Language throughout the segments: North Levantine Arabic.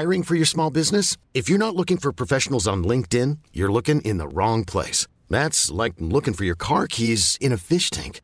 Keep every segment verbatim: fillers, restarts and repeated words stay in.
Hiring for your small business? If you're not looking for professionals on LinkedIn, you're looking in the wrong place. That's like looking for your car keys in a fish tank.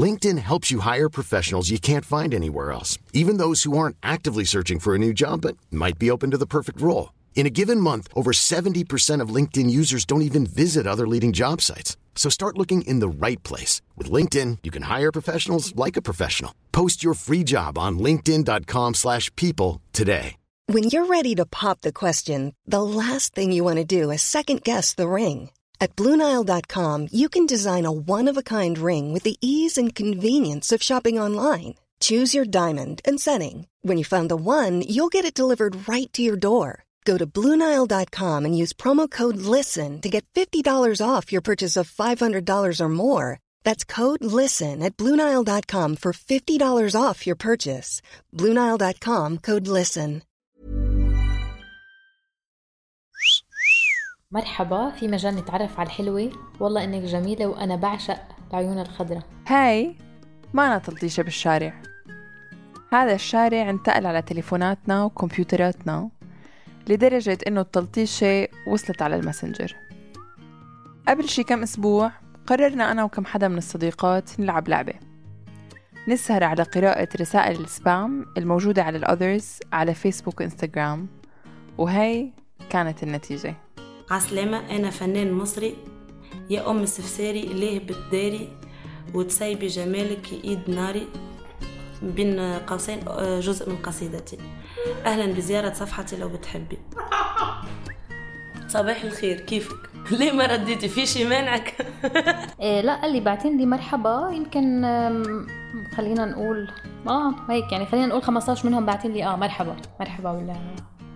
LinkedIn helps you hire professionals you can't find anywhere else, even those who aren't actively searching for a new job but might be open to the perfect role. In a given month, over seventy percent of LinkedIn users don't even visit other leading job sites. So start looking in the right place. With LinkedIn, you can hire professionals like a professional. Post your free job on linkedin.com slash people today. When you're ready to pop the question, the last thing you want to do is second-guess the ring. At Blue Nile dot com, you can design a one-of-a-kind ring with the ease and convenience of shopping online. Choose your diamond and setting. When you find the one, you'll get it delivered right to your door. Go to Blue Nile dot com and use promo code LISTEN to get fifty dollars off your purchase of five hundred dollars or more. That's code LISTEN at Blue Nile dot com for fifty dollars off your purchase. Blue Nile dot com, code LISTEN. مرحبا، في مجال نتعرف على الحلوة. والله إنك جميلة وأنا بعشق العيون الخضراء. هاي ما أنا تلطيشة بالشارع. هذا الشارع انتقل على تليفوناتنا وكمبيوتراتنا لدرجة إنه التلطيشة وصلت على الماسنجر. قبل شي كم أسبوع قررنا أنا وكم حدا من الصديقات نلعب لعبة، نسهر على قراءة رسائل السبام الموجودة على الأذرز على فيسبوك وإنستغرام، وهي كانت النتيجة. عسلامة، أنا فنان مصري، يا أم السفساري ليه بتداري وتسيبي جمالك إيد ناري، بين قوسين جزء من قصيدتي. أهلا بزيارة صفحتي لو بتحبي. صباح الخير، كيفك؟ ليه ما رديتي؟ في شي مانعك؟ إيه لا، قال لي بعتين لي مرحبا، يمكن خلينا نقول اه هيك يعني، خلينا نقول خمستاشر منهم بعتين لي اه مرحبا مرحبا ولا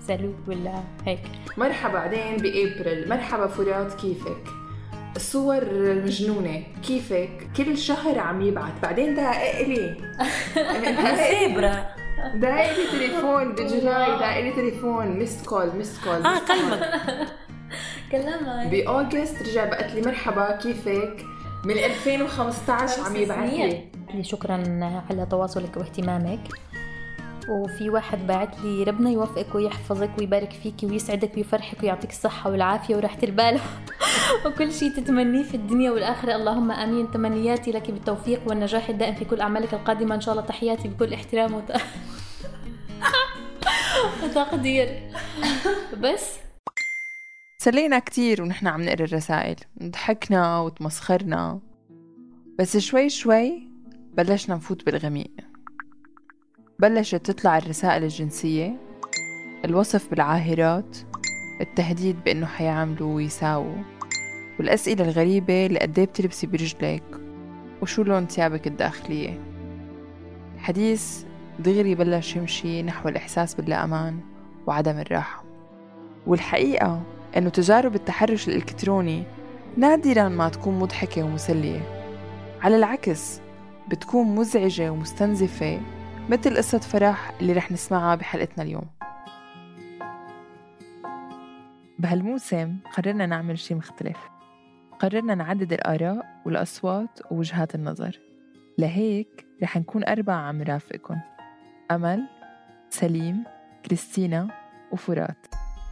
سالو ولا هيك. مرحبا بعدين بأبريل، مرحبا فرات كيفك؟ الصور المجنونة كيفك؟ كل شهر عم يبعت، بعدين دقق لي سيبرا دقق لي تليفون بجولاي، دقق لي تليفون ميست كول ميست كول اه كلمك كلامها. بأوغست رجع بقت لي مرحبا كيفك؟ من ألفين وخمستاشر عم يبعت لي. شكرا على تواصلك واهتمامك. وفي واحد بعت لي ربنا يوفقك ويحفظك ويبارك فيك ويسعدك ويفرحك ويعطيك الصحة والعافية وراحة البال وكل شيء تتمنيه في الدنيا والآخرة، اللهم آمين. تمنياتي لك بالتوفيق والنجاح الدائم في كل أعمالك القادمة إن شاء الله. تحياتي بكل احترام وت... وتقدير. بس سلينا كتير ونحن عم نقرأ الرسائل، ضحكنا وتمسخرنا، بس شوي شوي بلشنا نفوت بالغميق. بلشت تطلع الرسائل الجنسية، الوصف بالعاهرات، التهديد بأنه حيعملوا ويساووا، والأسئلة الغريبة اللي قديه بتلبسي برجلك وشو لون ثيابك الداخلية. الحديث دغري بلش يمشي نحو الإحساس باللا أمان وعدم الراحة. والحقيقة أنه تجارب التحرش الإلكتروني نادراً ما تكون مضحكة ومسلية، على العكس بتكون مزعجة ومستنزفة، مثل قصة فرح اللي رح نسمعها بحلقتنا اليوم. بهالموسم قررنا نعمل شيء مختلف، قررنا نعدد الآراء والأصوات ووجهات النظر. لهيك رح نكون أربعة عم رافقكم: أمل، سليم، كريستينا وفرات.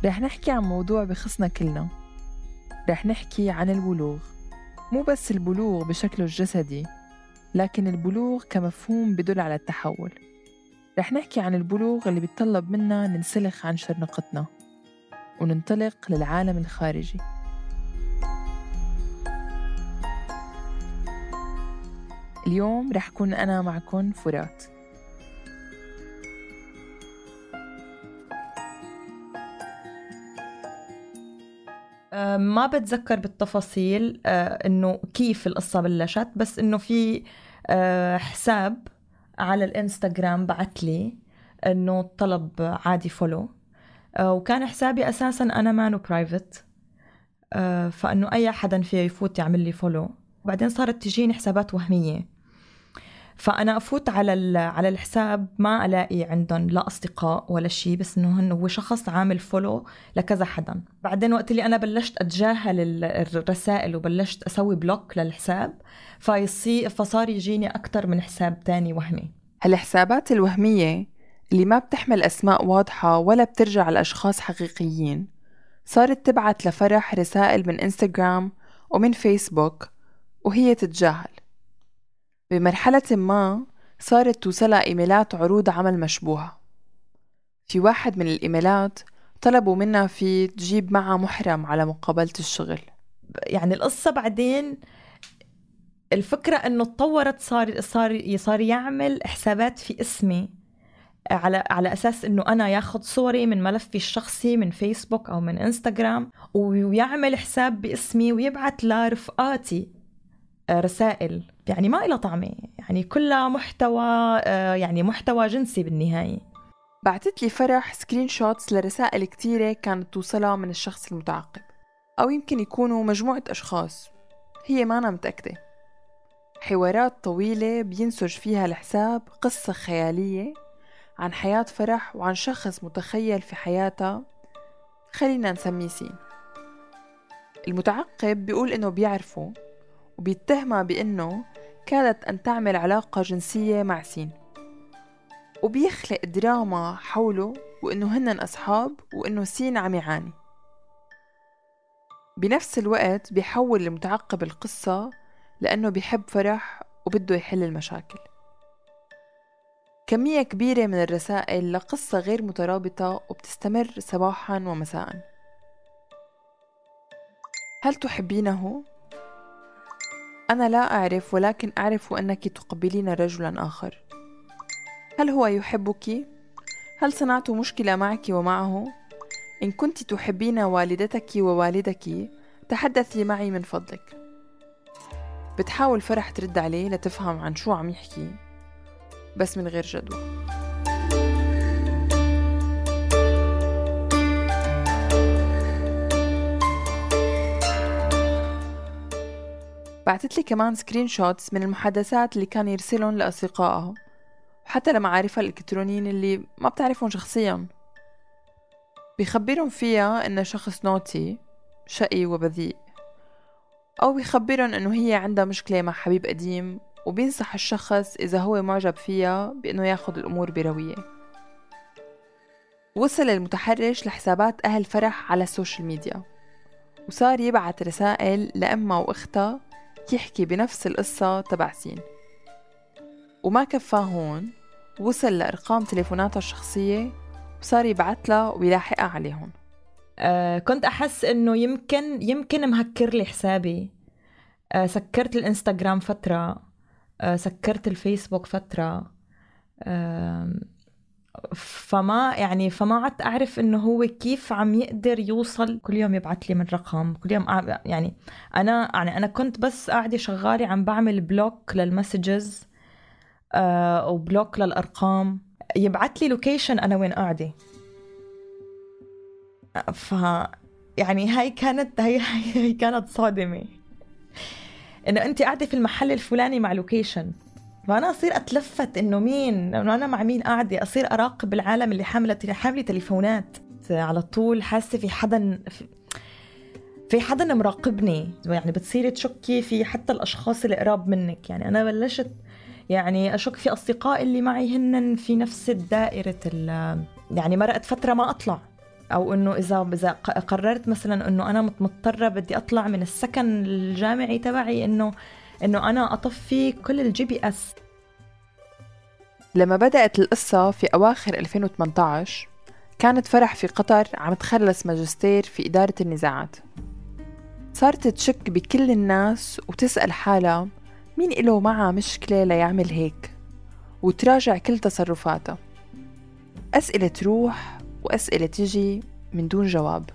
رح نحكي عن موضوع بخصنا كلنا. رح نحكي عن البلوغ، مو بس البلوغ بشكله الجسدي، لكن البلوغ كمفهوم بدل على التحول. رح نحكي عن البلوغ اللي بيتطلب منا ننسلخ عن شرنقتنا وننطلق للعالم الخارجي. اليوم رح كون أنا معكم فرات. ما بتذكر بالتفاصيل إنه كيف القصة بلشت، بس إنه في حساب على الإنستغرام بعت لي إنه طلب عادي فولو، وكان حسابي أساساً أنا مانو برايفت، فإنه أي حدا فيه يفوت يعمل لي فولو. وبعدين صارت تجيني حسابات وهمية، فأنا أفوت على على الحساب ما ألاقي عندهم لا أصدقاء ولا شيء، بس إنه هو شخص عامل فولو لكذا حدا. بعدين وقت اللي أنا بلشت أتجاهل الرسائل وبلشت أسوي بلوك للحساب، فيصير فصار يجيني أكتر من حساب تاني وهمي. هالحسابات الوهمية اللي ما بتحمل أسماء واضحة ولا بترجع لأشخاص حقيقيين صارت تبعت لفرح رسائل من إنستغرام ومن فيسبوك وهي تتجاهل. بمرحلة ما صارت توصلها إيميلات عروض عمل مشبوهة. في واحد من الإيميلات طلبوا منها في تجيب معها محرم على مقابلة الشغل. يعني القصة بعدين الفكرة إنه تطورت، صار صار صار يعمل حسابات في اسمي على على أساس إنه أنا ياخد صوري من ملفي الشخصي من فيسبوك أو من إنستغرام ويعمل حساب باسمي ويبعت لرفقاتي رسائل يعني ما إلها طعمة، يعني كلها محتوى يعني محتوى جنسي بالنهاية. بعتت لي فرح سكرين شوتس لرسائل كتيرة كانت توصلها من الشخص المتعقب، أو يمكن يكونوا مجموعة أشخاص هي ما أنا متأكدة. حوارات طويلة بينسج فيها الحساب قصة خيالية عن حياة فرح وعن شخص متخيل في حياتها، خلينا نسميه سين. المتعقب بيقول إنه بيعرفه وبيتهمها بإنه كادت أن تعمل علاقة جنسية مع سين، وبيخلق دراما حوله وإنه هنن أصحاب وإنه سين عم يعاني. بنفس الوقت بيحول المتعقب القصة لأنه بيحب فرح وبده يحل المشاكل. كمية كبيرة من الرسائل لقصة غير مترابطة وبتستمر صباحاً ومساءً. هل تحبينه؟ أنا لا أعرف، ولكن أعرف أنك تقبلين رجلاً آخر. هل هو يحبك؟ هل صنعت مشكلة معك ومعه؟ إن كنت تحبين والدتك ووالدك تحدثي معي من فضلك. بتحاول فرح ترد عليه لتفهم عن شو عم يحكي، بس من غير جدوى. بعتت لي كمان سكرين شوتس من المحادثات اللي كان يرسلهم لأصدقائها وحتى لمعارفها الإلكترونيين اللي ما بتعرفهم شخصياً. بيخبرهم فيها إنه شخص نوتي شقي وبذيء، أو بيخبرهم إنه هي عندها مشكلة مع حبيب قديم، وبينصح الشخص إذا هو معجب فيها بإنه ياخد الأمور بروية. وصل المتحرش لحسابات أهل فرح على السوشيال ميديا، وصار يبعت رسائل لأمها وأختها يحكي بنفس القصة تبع سين. وما كفاه هون، وصل لأرقام تليفوناتها الشخصية وصار يبعت لها ويلاحقها عليهم. آه كنت أحس إنه يمكن يمكن مهكر لي حسابي. آه سكرت الإنستغرام فترة، آه سكرت الفيسبوك فترة، آه فما يعني فما عدت أعرف إنه هو كيف عم يقدر يوصل. كل يوم يبعت لي من رقم، كل يوم أع... يعني أنا يعني أنا كنت بس قاعدة شغالة عم بعمل بلوك للمسجز آه وبلوك للأرقام. يبعت لي لوكيشن أنا وين قاعدة. ف يعني هاي كانت هاي هاي كانت صادمة، إنه أنت قاعدة في المحل الفلاني مع لوكيشن. فأنا أصير أتلفت إنه مين، إنه أنا مع مين قاعدة. أصير أراقب العالم اللي حاملة حاملة تليفونات على طول، حاسة في حدا في حدا مراقبني. يعني بتصيري تشكي في حتى الأشخاص اللي قراب منك. يعني أنا بلشت يعني أشك في أصدقائي اللي معي هن في نفس الدائرة. يعني مرقت فترة ما أطلع، أو إنه إذا إذا قررت مثلا إنه أنا مضطرة بدي أطلع من السكن الجامعي تبعي، إنه إنه أنا أطفي كل الجي بي إس. لما بدأت القصة في أواخر ألفين وثمانية عشر كانت فرح في قطر عم تخلص ماجستير في إدارة النزاعات. صارت تشك بكل الناس وتسأل حالها مين إله معها مشكلة ليعمل هيك، وتراجع كل تصرفاتها. أسئلة تروح وأسئلة تجي من دون جواب.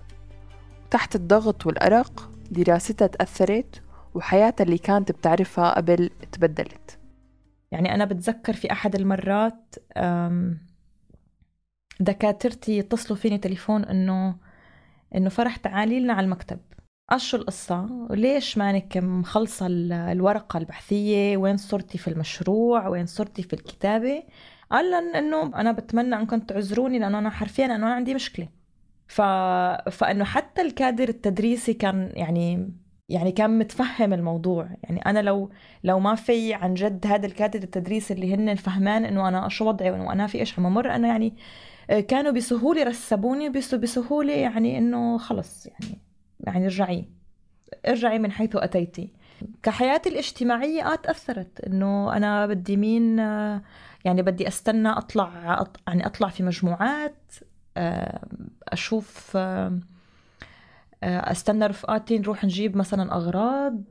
تحت الضغط والأرق دراستها تأثرت، وحياتها اللي كانت بتعرفها قبل تبدلت. يعني أنا بتذكر في أحد المرات دكاترتي يتصلوا فيني تليفون إنه إنه فرح تعالي لنا على المكتب. أشو القصة؟ وليش مانك مخلصة الورقة البحثية؟ وين صرتي في المشروع؟ وين صرتي في الكتابة؟ قال إنه أنا بتمنى أنكم تعذروني لأنه أنا حرفيا أنه أنا عندي مشكلة. ف... فإنه حتى الكادر التدريسي كان يعني يعني كان متفهم الموضوع. يعني أنا لو لو ما في عن جد هذا الكادر التدريس اللي هن فهمان إنه أنا شو وضعي وإنه أنا في إيش عم أمر، أنا يعني كانوا بسهولة رسبوني بس بسهولة يعني إنه خلص يعني يعني ارجعي ارجعي من حيث أتيتي. كحياتي الاجتماعية آه تأثرت إنه أنا بدي مين يعني بدي أستنى أطلع يعني أطلع في مجموعات، أشوف أستنى رفقاتي نروح نجيب مثلا أغراض،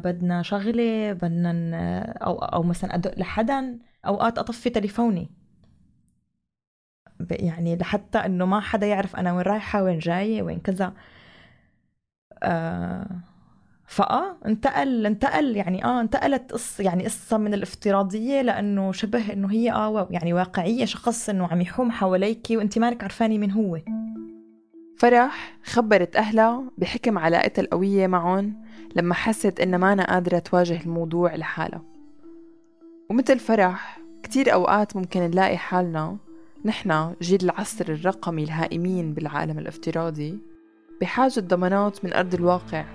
بدنا شغلة بدنا أو أو مثلا أدق لحدا، أوقات أطفي تليفوني يعني لحتى إنه ما حدا يعرف أنا وين رايحة وين جاية وين كذا. آه فآه انتقل انتقل يعني آه انتقلت قصة يعني قصة من الافتراضية لأنه شبه إنه هي آه يعني واقعية، شخص إنه عم يحوم حواليكي وأنت مالك عرفاني من هو. فرح خبرت أهلها بحكم علاقتها القوية معهم لما حست إنها ما أنا قادرة تواجه الموضوع لحالها. ومثل فرح كتير أوقات ممكن نلاقي حالنا نحنا جيل العصر الرقمي الهائمين بالعالم الافتراضي بحاجة ضمانات من أرض الواقع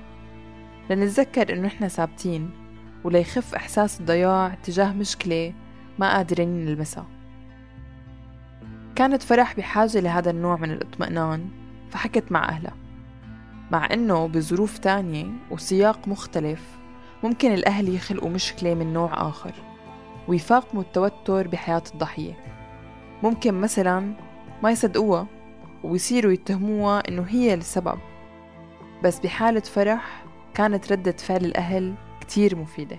لنتذكر إنه نحنا ثابتين وليخف إحساس الضياع تجاه مشكلة ما قادرين نلمسها. كانت فرح بحاجة لهذا النوع من الاطمئنان فحكت مع أهلها، مع إنه بظروف تانية وسياق مختلف ممكن الأهل يخلقوا مشكلة من نوع آخر ويفاقموا التوتر بحياة الضحية. ممكن مثلاً ما يصدقوها ويصيروا يتهموها إنه هي السبب، بس بحالة فرح كانت ردة فعل الأهل كتير مفيدة.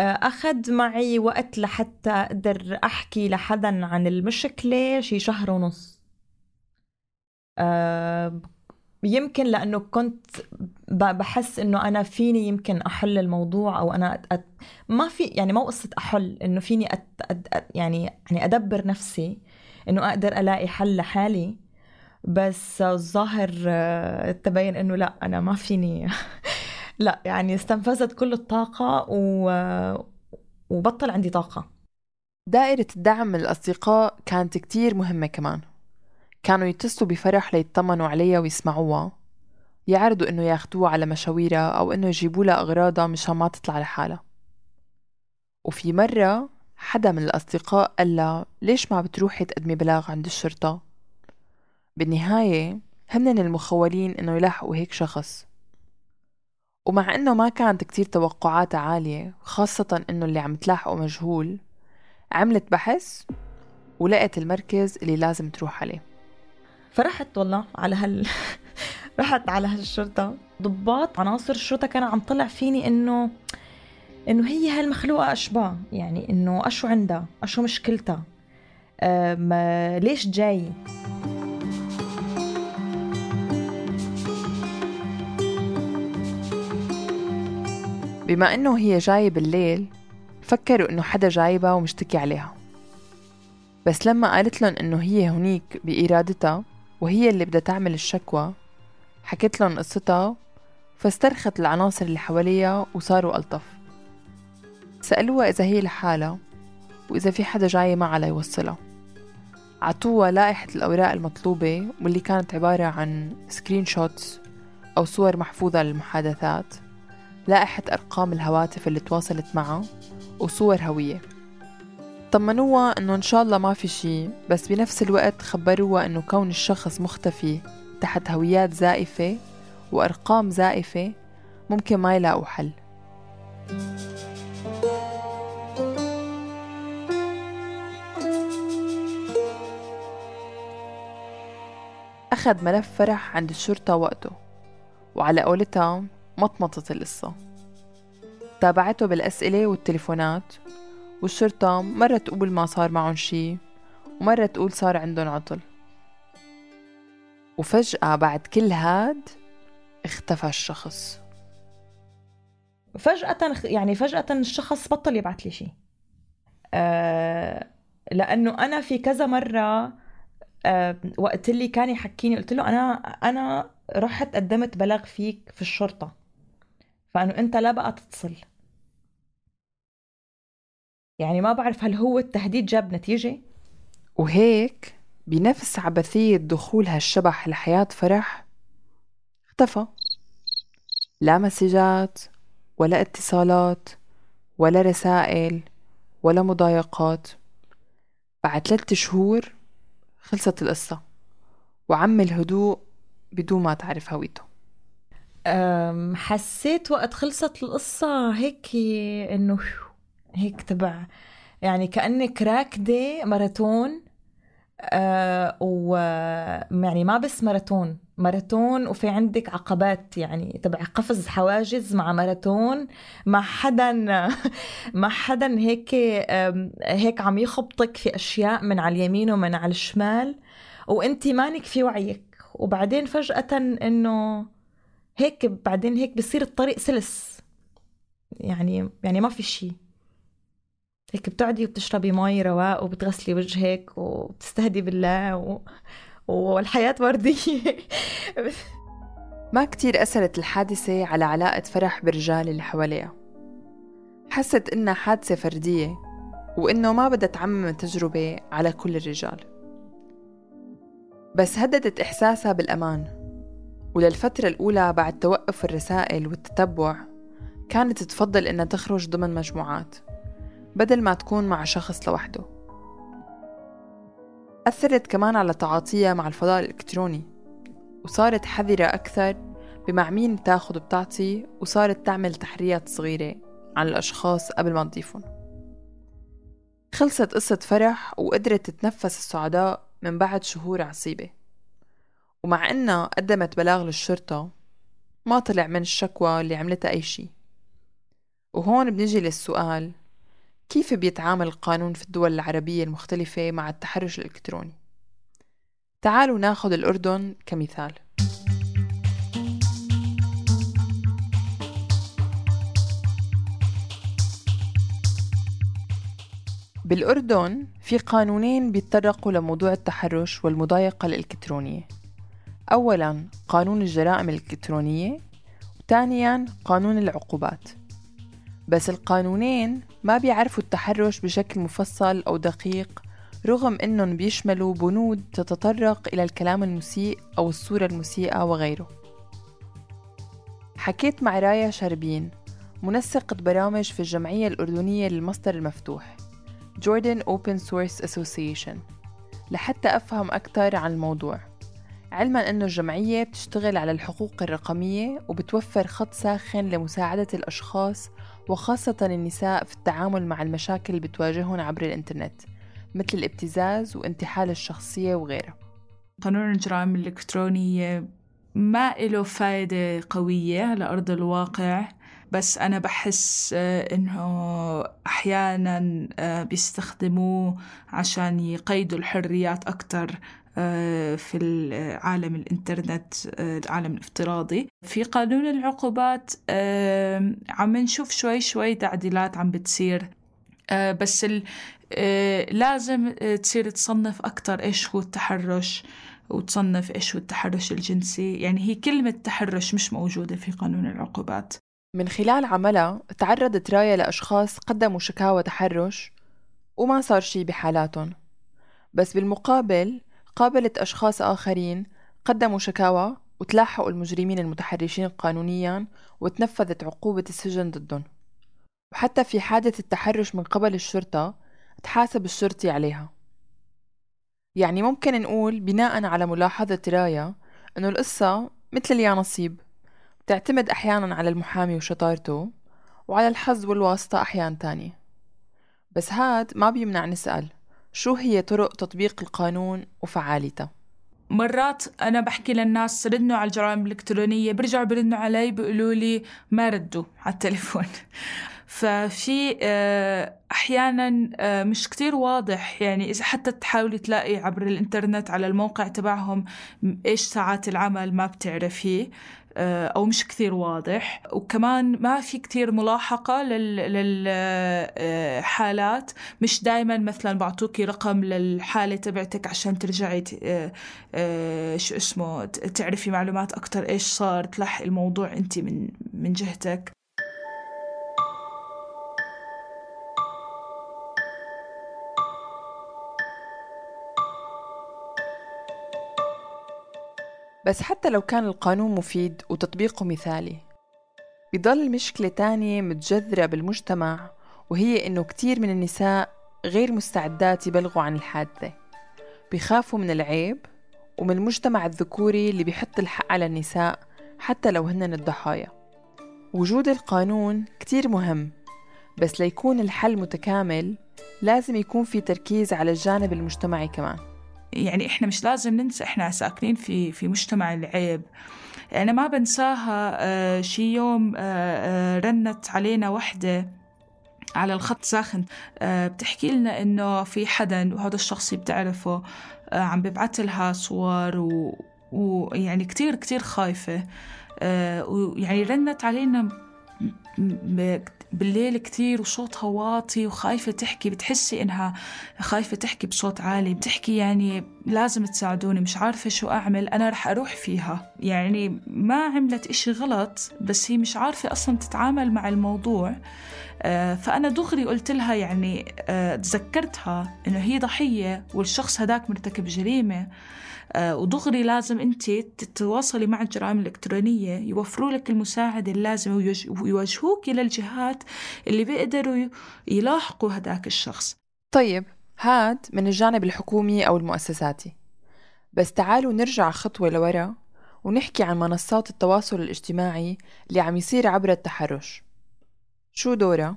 أخذ معي وقت لحتى أقدر أحكي لحدا عن المشكلة شي شهر ونص. أه يمكن لأنه كنت بحس إنه أنا فيني يمكن أحل الموضوع، أو أنا أت... أت... ما في يعني ما قصة أحل، إنه فيني أت... أت... يعني يعني أدبر نفسي إنه أقدر ألاقي حل لحالي. بس الظاهر تبين إنه لا أنا ما فيني لا يعني استنفذت كل الطاقة و... وبطل عندي طاقة. دائرة الدعم من الأصدقاء كانت كتير مهمة كمان. كانوا يتصلوا بفرح ليطمنوا عليها ويسمعوها، يعرضوا إنه ياخدوها على مشاويرها أو إنه يجيبوا لها أغراضها مشان ما تطلع لحالها. وفي مرة حدا من الأصدقاء قال لها ليش ما بتروحي تقدمي بلاغ عند الشرطة؟ بالنهاية هنن المخولين إنه يلاحقوا هيك شخص، ومع إنه ما كانت كتير توقعاتها عالية خاصة إنه اللي عم تلاحقه مجهول، عملت بحث ولقت المركز اللي لازم تروح عليه. فرحت والله على هال رحت على هالشرطة. ضباط عناصر الشرطة كان عم طلع فيني إنه إنه هي هالمخلوقة أشباه، يعني إنه أشو عندها أشو مشكلتها، أه ليش جاي. بما إنه هي جاية بالليل فكروا إنه حدا جايبها ومشتكي عليها، بس لما قالت لهم إنه هي هنيك بإرادتها وهي اللي بدها تعمل الشكوى حكيت لهم قصتها، فاسترخت العناصر اللي حواليها وصاروا ألطف. سألوها إذا هي لحالها وإذا في حدا جاي معها ليوصلها. عطوها لائحة الأوراق المطلوبة واللي كانت عبارة عن سكرين شوتس أو صور محفوظة للمحادثات، لائحة أرقام الهواتف اللي تواصلت معها وصور هوية. طمنوها إنه إن شاء الله ما في شي، بس بنفس الوقت خبروها إنه كون الشخص مختفي تحت هويات زائفة وأرقام زائفة ممكن ما يلاقوا حل. أخذ ملف فرح عند الشرطة وقته، وعلى قولتها مطمطت القصة. تابعته بالأسئلة والتليفونات، والشرطة مرة تقول ما صار معهم شي ومرة تقول صار عندهم عطل. وفجأة بعد كل هاد اختفى الشخص. فجأة يعني فجأة الشخص بطل يبعث لي شي. أه لأنه أنا في كذا مرة أه وقت اللي كان يحكيني قلت له أنا أنا رحت قدمت بلاغ فيك في الشرطة، فأنه أنت لا بقى تتصل. يعني ما بعرف هل هو التهديد جاب نتيجة. وهيك بنفس عبثية دخول هالشبح لحياة فرح اختفى. لا مسجات ولا اتصالات ولا رسائل ولا مضايقات. بعد ثلاثة شهور خلصت القصة وعم الهدوء بدون ما تعرف هويته. أم، حسيت وقت خلصت القصة هيك إنه هيك تبع يعني كأنك راكدة ماراثون. أه و يعني ما بس ماراثون ماراثون وفي عندك عقبات يعني تبع قفز حواجز مع ماراثون مع حدا مع حدا هيك أم، هيك عم يخبطك في أشياء من على اليمين ومن على الشمال وانتي مانك في وعيك، وبعدين فجأة إنه هيك بعدين هيك بصير الطريق سلس يعني يعني ما في شيء، هيك بتقعدي وبتشربي مي رواق وبتغسلي وجهك وبتستهدي بالله و... والحياة وردية. ما كتير أثرت الحادثة على علاقة فرح بالرجال اللي حواليها. حست إنها حادثة فردية وإنه ما بدها تعمم التجربة على كل الرجال، بس هددت إحساسها بالأمان. وللفترة الأولى بعد توقف الرسائل والتتبع كانت تفضل إنها تخرج ضمن مجموعات بدل ما تكون مع شخص لوحده. أثرت كمان على تعاطيها مع الفضاء الإلكتروني وصارت حذرة أكثر بمع مين تاخد وبتعطي، وصارت تعمل تحريات صغيرة عن الأشخاص قبل ما تضيفهم. خلصت قصة فرح وقدرت تتنفس السعداء من بعد شهور عصيبة، ومع إنها قدمت بلاغ للشرطة ما طلع من الشكوى اللي عملتها أي شيء. وهون بنجي للسؤال: كيف بيتعامل القانون في الدول العربية المختلفة مع التحرش الإلكتروني؟ تعالوا ناخد الأردن كمثال. بالأردن في قانونين بيتطرقوا لموضوع التحرش والمضايقة الإلكترونية. أولاً قانون الجرائم الإلكترونية، وثانياً قانون العقوبات. بس القانونين ما بيعرفوا التحرش بشكل مفصل أو دقيق، رغم إنهم بيشملوا بنود تتطرق إلى الكلام المسيء أو الصورة المسيئة وغيره. حكيت مع رايا شربين منسقة برامج في الجمعية الأردنية للمصدر المفتوح Jordan Open Source Association لحتى أفهم أكثر عن الموضوع، علماً أنه الجمعية بتشتغل على الحقوق الرقمية وبتوفر خط ساخن لمساعدة الأشخاص وخاصة النساء في التعامل مع المشاكل اللي بتواجههم عبر الإنترنت مثل الابتزاز وانتحال الشخصية وغيرها. قانون الجرائم الإلكترونية ما له فائدة قوية على أرض الواقع، بس أنا بحس إنه أحياناً بيستخدموه عشان يقيدوا الحريات أكتر في العالم الإنترنت، العالم الافتراضي. في قانون العقوبات عم نشوف شوي شوي تعديلات عم بتصير، بس لازم تصير تصنف أكتر إيش هو التحرش وتصنف إيش هو التحرش الجنسي. يعني هي كلمة تحرش مش موجودة في قانون العقوبات. من خلال عملها تعرضت رايا لأشخاص قدموا شكاوى تحرش وما صار شي بحالاتهم، بس بالمقابل قابلت أشخاص آخرين قدموا شكاوى وتلاحقوا المجرمين المتحرشين قانونياً وتنفذت عقوبة السجن ضدهم. وحتى في حادث التحرش من قبل الشرطة تحاسب الشرطي عليها. يعني ممكن نقول بناء على ملاحظة رايا أنه القصة مثل يا نصيب، بتعتمد أحياناً على المحامي وشطارته وعلى الحظ والواسطة أحيان تانية. بس هاد ما بيمنع نسأل شو هي طرق تطبيق القانون وفعاليته. مرات أنا بحكي للناس ردنوا على الجرائم الإلكترونية، برجعوا برنوا علي بيقولوا لي ما ردوا على التليفون. ففي أحياناً مش كتير واضح، يعني إذا حتى تحاولي تلاقي عبر الإنترنت على الموقع تبعهم إيش ساعات العمل ما بتعرفيه أو مش كثير واضح. وكمان ما في كثير ملاحقة للحالات، مش دايما مثلا بعطوكي رقم للحالة تبعتك عشان ترجعي شو اسمه تعرفي معلومات أكتر إيش صار، تلحق الموضوع أنت من من جهتك. بس حتى لو كان القانون مفيد وتطبيقه مثالي، بيضل مشكلة تانية متجذرة بالمجتمع، وهي إنه كتير من النساء غير مستعدات يبلغوا عن الحادثة، بيخافوا من العيب ومن المجتمع الذكوري اللي بيحط الحق على النساء حتى لو هنن الضحايا. وجود القانون كتير مهم، بس ليكون الحل متكامل لازم يكون في تركيز على الجانب المجتمعي كمان. يعني إحنا مش لازم ننسى إحنا ساكنين في في مجتمع العيب. أنا ما بنساها آه شي يوم آه آه رنت علينا وحدة على الخط ساخن آه بتحكي لنا إنه في حدا وهذا الشخص بتعرفه آه عم ببعث لها صور و ويعني كتير كتير خايفة آه ويعني رنت علينا بالليل كتير وصوتها واطي وخايفة تحكي، بتحسي إنها خايفة تحكي بصوت عالي، بتحكي يعني لازم تساعدوني، مش عارفة شو أعمل، أنا رح أروح فيها. يعني ما عملت إشي غلط، بس هي مش عارفة أصلا تتعامل مع الموضوع. آه فأنا دغري قلت لها يعني آه تذكرتها إنه هي ضحية والشخص هداك مرتكب جريمة، آه ودغري لازم أنت تتواصلي مع الجرائم الإلكترونية يوفروا لك المساعدة اللازمة ويوجهوك إلى الجهات اللي بيقدروا يلاحقوا هداك الشخص. طيب هاد من الجانب الحكومي أو المؤسساتي، بس تعالوا نرجع خطوة لورا ونحكي عن منصات التواصل الاجتماعي اللي عم يصير عبر التحرش. شو دورها؟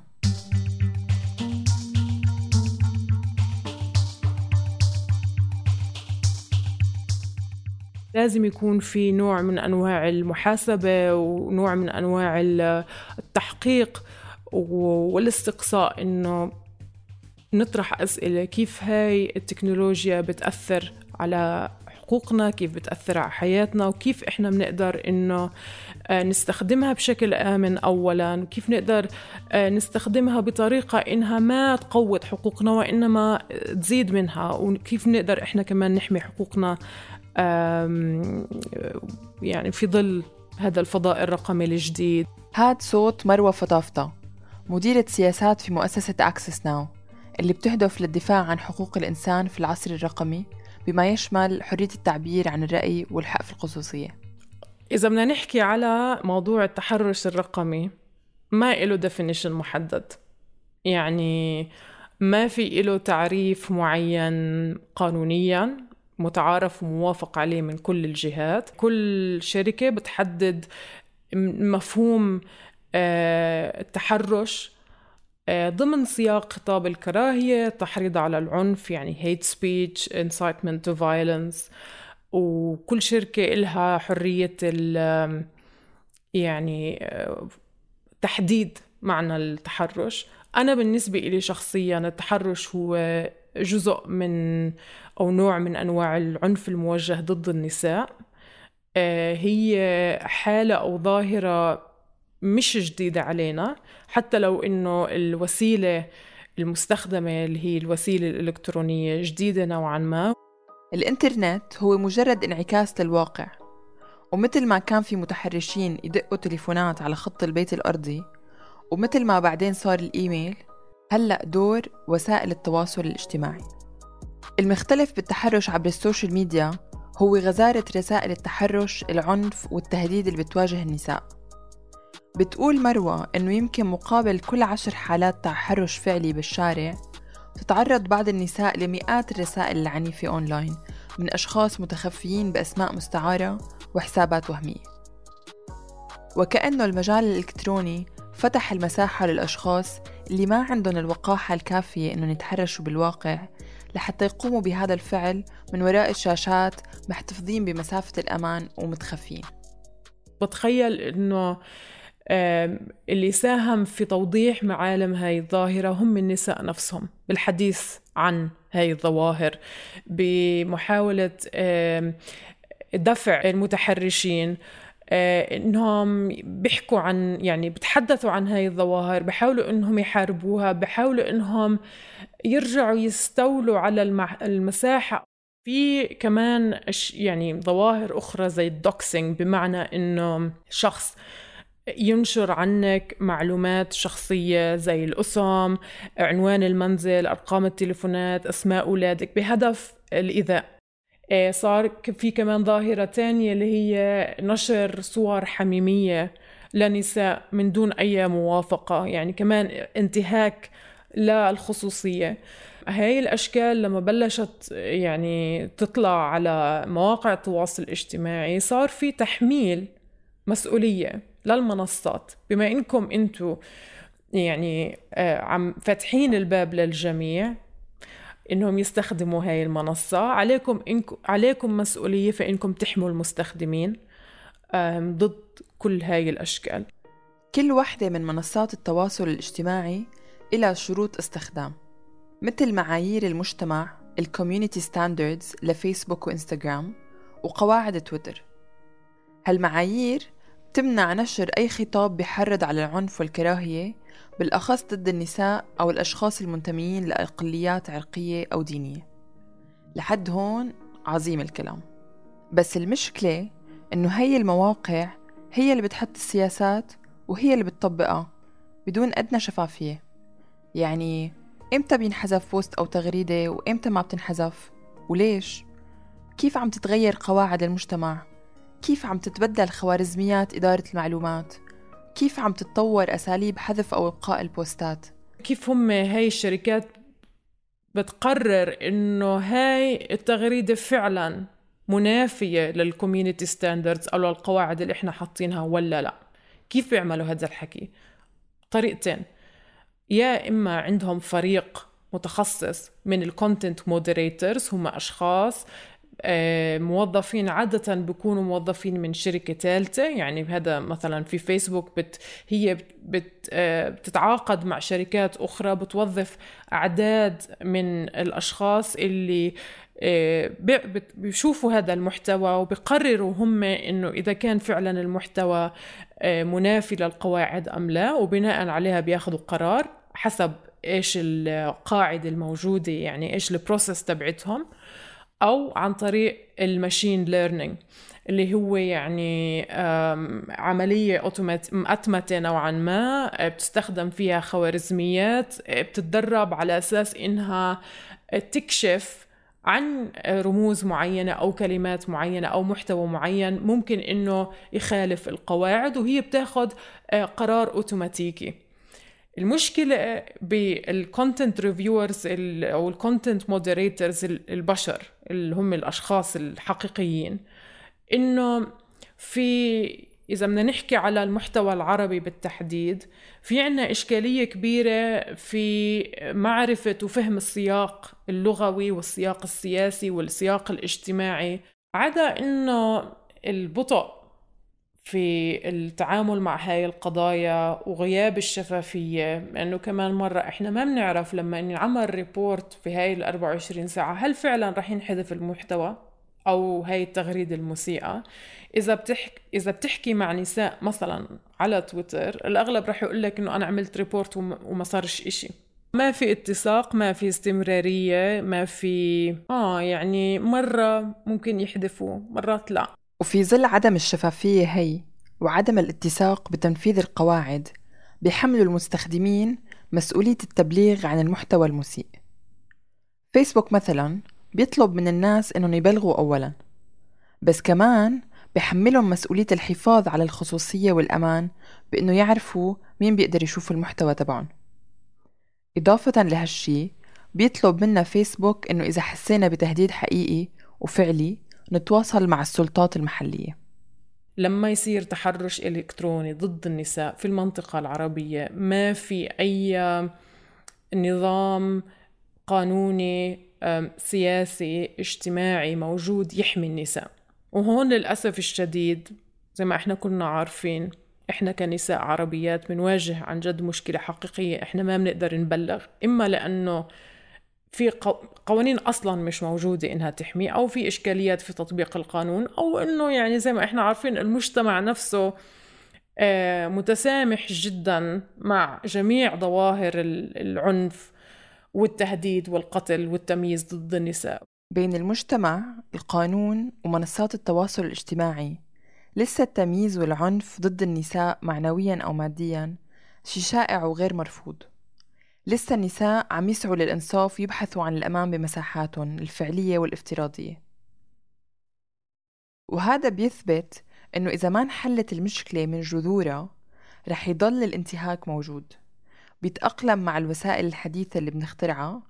لازم يكون في نوع من أنواع المحاسبة ونوع من أنواع التحقيق والاستقصاء، إنه نطرح أسئلة كيف هاي التكنولوجيا بتأثر على حقوقنا، كيف بتأثر على حياتنا، وكيف إحنا بنقدر إنه نستخدمها بشكل آمن أولاً، وكيف نقدر نستخدمها بطريقة إنها ما تقوض حقوقنا وإنما تزيد منها، وكيف نقدر إحنا كمان نحمي حقوقنا يعني في ظل هذا الفضاء الرقمي الجديد. هاد صوت مروة فطافطة، مديرة سياسات في مؤسسة أكسس ناو اللي بتهدف للدفاع عن حقوق الإنسان في العصر الرقمي بما يشمل حرية التعبير عن الرأي والحق في الخصوصية. إذا بدنا نحكي على موضوع التحرش الرقمي، ما إله definition محدد، يعني ما في إله تعريف معين قانونياً متعارف وموافق عليه من كل الجهات. كل شركة بتحدد مفهوم التحرش ضمن سياق خطاب الكراهية، التحريض على العنف يعني hate speech, incitement to violence، وكل شركة إلها حرية يعني تحديد معنى التحرش. أنا بالنسبة إلي شخصياً التحرش هو جزء من أو نوع من أنواع العنف الموجه ضد النساء. هي حالة أو ظاهرة مش جديدة علينا، حتى لو إنه الوسيلة المستخدمة اللي هي الوسيلة الإلكترونية جديدة نوعاً ما. الإنترنت هو مجرد انعكاس للواقع، ومثل ما كان في متحرشين يدقوا تليفونات على خط البيت الأرضي، ومثل ما بعدين صار الإيميل، هلأ دور وسائل التواصل الاجتماعي. المختلف بالتحرش عبر السوشيال ميديا هو غزارة رسائل التحرش، العنف والتهديد اللي بتواجه النساء. بتقول مروة إنه يمكن مقابل كل عشر حالات تحرش فعلي بالشارع تتعرض بعض النساء لمئات الرسائل العنيفة أونلاين من أشخاص متخفيين بأسماء مستعارة وحسابات وهمية، وكأنه المجال الإلكتروني فتح المساحة للأشخاص اللي ما عندهم الوقاحة الكافية إنه يتحرشوا بالواقع لحتى يقوموا بهذا الفعل من وراء الشاشات محتفظين بمسافة الأمان ومتخفين. بتخيل إنه اللي ساهم في توضيح معالم هاي الظاهرة هم النساء نفسهم بالحديث عن هاي الظواهر، بمحاولة دفع المتحرشين إنهم بيحكوا عن يعني بتحدثوا عن هاي الظواهر، بحاولوا إنهم يحاربوها، بحاولوا إنهم يرجعوا يستولوا على المساحة. في كمان يعني ظواهر أخرى زي الدوكسينج، بمعنى إنه شخص ينشر عنك معلومات شخصية زي الأسم، عنوان المنزل، أرقام التليفونات، أسماء أولادك بهدف الإيذاء. صار في كمان ظاهرة تانية اللي هي نشر صور حميمية لنساء من دون أي موافقة، يعني كمان انتهاك للخصوصية. هاي الأشكال لما بلشت يعني تطلع على مواقع التواصل الاجتماعي صار في تحميل مسؤولية للمنصات، بما إنكم أنتوا يعني عم فاتحين الباب للجميع إنهم يستخدموا هاي المنصة، عليكم إنكم عليكم مسؤولية فإنكم تحموا المستخدمين ضد كل هاي الأشكال. كل واحدة من منصات التواصل الاجتماعي إلها شروط استخدام، مثل معايير المجتمع الكوميونيتي ستاندردز لفيسبوك وإنستغرام وقواعد تويتر. هالمعايير بتمنع نشر أي خطاب بيحرض على العنف والكراهية، بالأخص ضد النساء أو الأشخاص المنتميين لأقليات عرقية أو دينية. لحد هون عظيم الكلام، بس المشكلة إنه هي المواقع هي اللي بتحط السياسات وهي اللي بتطبقها بدون أدنى شفافية. يعني إمتى بينحذف بوست أو تغريدة وإمتى ما بتنحذف وليش؟ كيف عم تتغير قواعد المجتمع؟ كيف عم تتبدل خوارزميات إدارة المعلومات؟ كيف عم تتطور أساليب حذف أو إبقاء البوستات؟ كيف هم هاي الشركات بتقرر إنه هاي التغريدة فعلاً منافية للكوميونيتي ستاندردز أو للقواعد اللي إحنا حاطينها ولا لا؟ كيف بيعملوا هذا الحكي؟ طريقتين، يا إما عندهم فريق متخصص من الكونتنت مودريترز، هم أشخاص موظفين عادة بيكونوا موظفين من شركة ثالثة، يعني هذا مثلا في فيسبوك بت هي بت بتتعاقد مع شركات أخرى بتوظف أعداد من الأشخاص اللي بيشوفوا هذا المحتوى وبيقرروا هم إنه إذا كان فعلا المحتوى منافي للقواعد أم لا، وبناء عليها بياخدوا قرار حسب إيش القاعدة الموجودة، يعني إيش البروسيس تبعتهم، أو عن طريق الماشين ليرنينج اللي هو يعني عملية مأتمتة نوعا ما بتستخدم فيها خوارزميات بتتدرب على أساس إنها تكشف عن رموز معينة أو كلمات معينة أو محتوى معين ممكن إنه يخالف القواعد، وهي بتاخد قرار أوتوماتيكي. المشكلة بالكونتنت ريفيورز أو الكونتنت مودريترز البشر اللي هم الأشخاص الحقيقيين، إنه في إذا بدنا نحكي على المحتوى العربي بالتحديد في عنا إشكالية كبيرة في معرفة وفهم السياق اللغوي والسياق السياسي والسياق الاجتماعي، عدا إنه البطء في التعامل مع هاي القضايا وغياب الشفافية، لأنه كمان مرة إحنا ما بنعرف لما نعمل ريبورت في هاي الأربع وعشرين ساعة هل فعلا رح ينحذف المحتوى أو هاي التغريدة المسيئة. إذا بتحكي إذا بتحكي مع نساء مثلا على تويتر الأغلب رح يقول لك إنه أنا عملت ريبورت وما صارش إشي، ما في اتساق، ما في استمرارية، ما في آه يعني مرة ممكن يحذفوا مرات لا. وفي ظل عدم الشفافية هي وعدم الاتساق بتنفيذ القواعد بيحملوا المستخدمين مسؤولية التبليغ عن المحتوى المسيء. فيسبوك مثلا بيطلب من الناس إنهم يبلغوا أولا، بس كمان بيحملهم مسؤولية الحفاظ على الخصوصية والأمان بإنه يعرفوا مين بيقدر يشوف المحتوى تبعهم. إضافة لهالشي بيطلب منا فيسبوك إنه إذا حسينا بتهديد حقيقي وفعلي نتواصل مع السلطات المحلية. لما يصير تحرش إلكتروني ضد النساء في المنطقة العربية ما في أي نظام قانوني سياسي اجتماعي موجود يحمي النساء، وهون للأسف الشديد زي ما احنا كنا عارفين احنا كنساء عربيات بنواجه عن جد مشكلة حقيقية، احنا ما بنقدر نبلغ، إما لأنه في قوانين أصلاً مش موجودة إنها تحمي، أو في إشكاليات في تطبيق القانون، أو إنه يعني زي ما إحنا عارفين المجتمع نفسه متسامح جداً مع جميع ظواهر العنف والتهديد والقتل والتمييز ضد النساء. بين المجتمع، القانون ومنصات التواصل الاجتماعي لسه التمييز والعنف ضد النساء معنوياً أو مادياً شيء شائع وغير مرفوض. لسه النساء عم يسعوا للإنصاف ويبحثوا عن الأمان بمساحاتهم الفعلية والافتراضية، وهذا بيثبت إنه إذا ما انحلت المشكلة من جذورها رح يضل الانتهاك موجود. بيتأقلم مع الوسائل الحديثة اللي بنخترعها،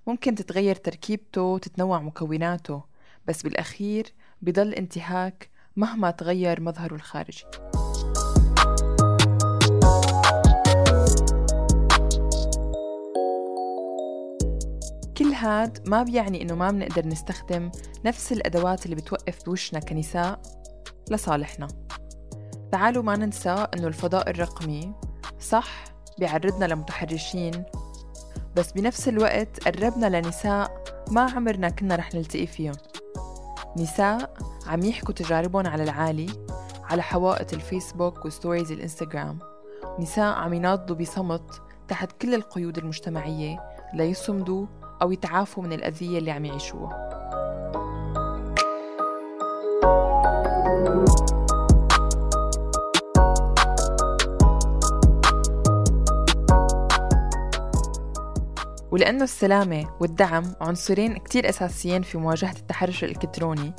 ممكن تتغير تركيبته وتتنوع مكوناته، بس بالأخير بيضل انتهاك مهما تغير مظهره الخارجي. كل هاد ما بيعني إنه ما بنقدر نستخدم نفس الأدوات اللي بتوقف بوشنا كنساء لصالحنا. تعالوا ما ننسى إنه الفضاء الرقمي صح بيعرضنا لمتحرشين، بس بنفس الوقت قربنا لنساء ما عمرنا كنا رح نلتقي فيهم. نساء عم يحكوا تجاربهم على العالي على حوائط الفيسبوك وستوريز الانستغرام. نساء عم يناضلوا بصمت تحت كل القيود المجتمعية ليصمدوا أو يتعافوا من الأذية اللي عم يعيشوها. ولأنه السلامة والدعم عنصرين كتير أساسيين في مواجهة التحرش الإلكتروني،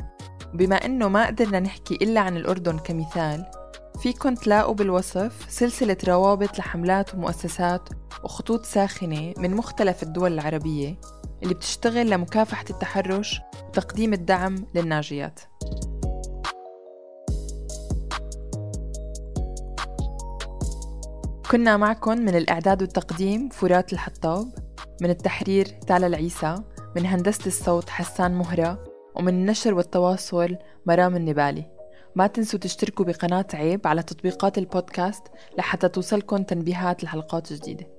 بما أنه ما قدرنا نحكي إلا عن الأردن كمثال، فيكن تلاقوا بالوصف سلسلة روابط لحملات ومؤسسات وخطوط ساخنة من مختلف الدول العربية اللي بتشتغل لمكافحة التحرش وتقديم الدعم للناجيات. كنا معكم من الإعداد والتقديم فرات الحطاب، من التحرير تالا العيسى، من هندسة الصوت حسان مهرة، ومن النشر والتواصل مرام النبالي. ما تنسوا تشتركوا بقناة عيب على تطبيقات البودكاست لحتى توصلكم تنبيهات لحلقات جديدة.